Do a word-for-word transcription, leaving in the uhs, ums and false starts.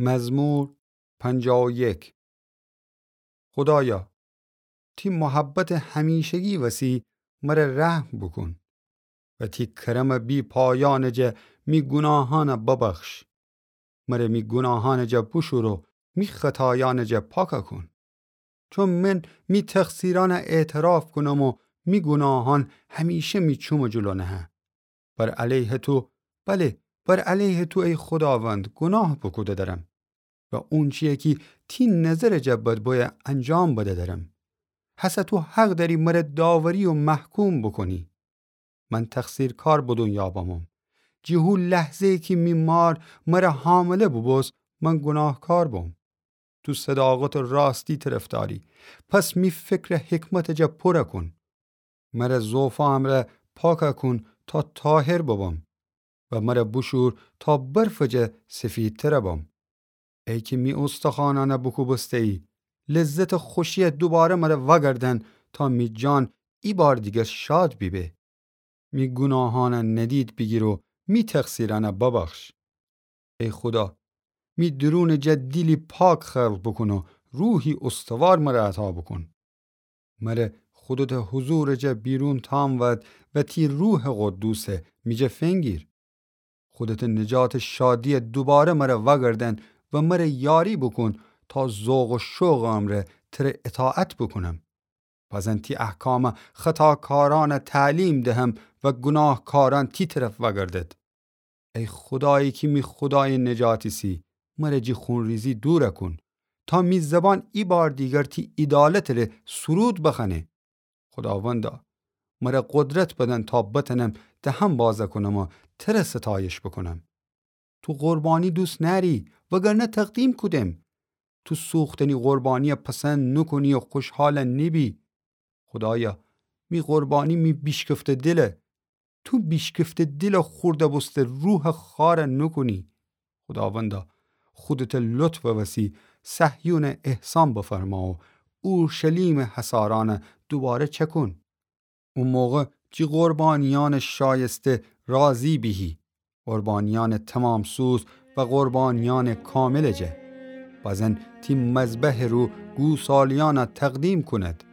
مزمور پنجاه و یک. خودایا، تی محبتٚ همیشگی وسی مره رحم بوکون و تی کرمٚ بی‌پایانٚ جا می گوناهانَ ببخش. مره می گوناهانٚ جا بوشور و می خطایانٚ جا پاکَ کون. چون من می تقصیرانَ اعتراف کونم و می گوناهان همیشه می چومٚ جلو نهه. بر علیه تو، بله، بر علیه تو ای خوداوند گوناه بوکوده درم و اونچیی کی تی نظرٚ جا بد بویه انجام بده درم. هسه تو حق دأری مره داوری و محکوم بوکونی. من تقصیرکار به دونیا بموم. جی هو لحظه‌یی کی می مار مره حامله بوبوست، من گوناهکار بوم. تو صداقت و راستی طرفداری، پس می فکرَ حکمتٚ جا پورَ کون. مره ضعفا امرأ پاکَ کون تا طاهر ببم و مره بوشور تا برفٚ جا سفیدترَ بم. ای کی می استخوانانَ بوکوبسته‌یی، لذتٚ خوشیَ دوباره مره وأگردأن تا می جان ایبار دیگر شاد بیبه. می گوناهانَ ندید بیگیر و می تقصیرانَ ببخش. ای خودا، می درونٚ جا دیلی پاک خلق بوکون و روحی استوار مره عطا بوکون. مره خودتٚ حضورٚ جا بیرون تام ود و تی روحٚ قدوسَ می جا فنگیر. خودتٚ نجاتٚ شادیَ دوباره مره وأگردأن و مره یاری بوکون تا ذوق و شوقٚ امرأ تره اطاعت بوکونم. بزن تی احکامَ خطاکارانَ تعلیم دهم و گوناهکارأن تی طرف وأگردد. ای خودایی کی می خودایٚ نجات ایسی، مره جی خونریزی دورَ کون، تا می زبان ایبار دیگر تی عیدالتٚ ره سرود بخوأنه. خوداوندا، مره قدرت بدن تا بتأنم دهم بازَ کونم و تره ستایش بوکونم. تو قربانی دوست نأری، وگرنه تقدیم کودم. تو سوختنی قربانیَ پسند نوکونی و خوشحال نیبی. خودایا، می قربانی می بیشکفته دیله. تو بیشکفته دیلٚ خورده‌بوسته روحٚ خوارَ نوکونی. خوداوندا، خودتٚ لطفٚ وسی صهیونَ احسان بفرما و اورشلیمٚ حصارأنَ دوباره چأکون. او موقع جی قربانیأنٚ شایسته راضی بیهی، قربانیأنٚ تمام‌سوز و قربانیأنٚ کاملٚ جا. بزن تی مذبحٚ رو گوسالیأنَ تقدیم کونید.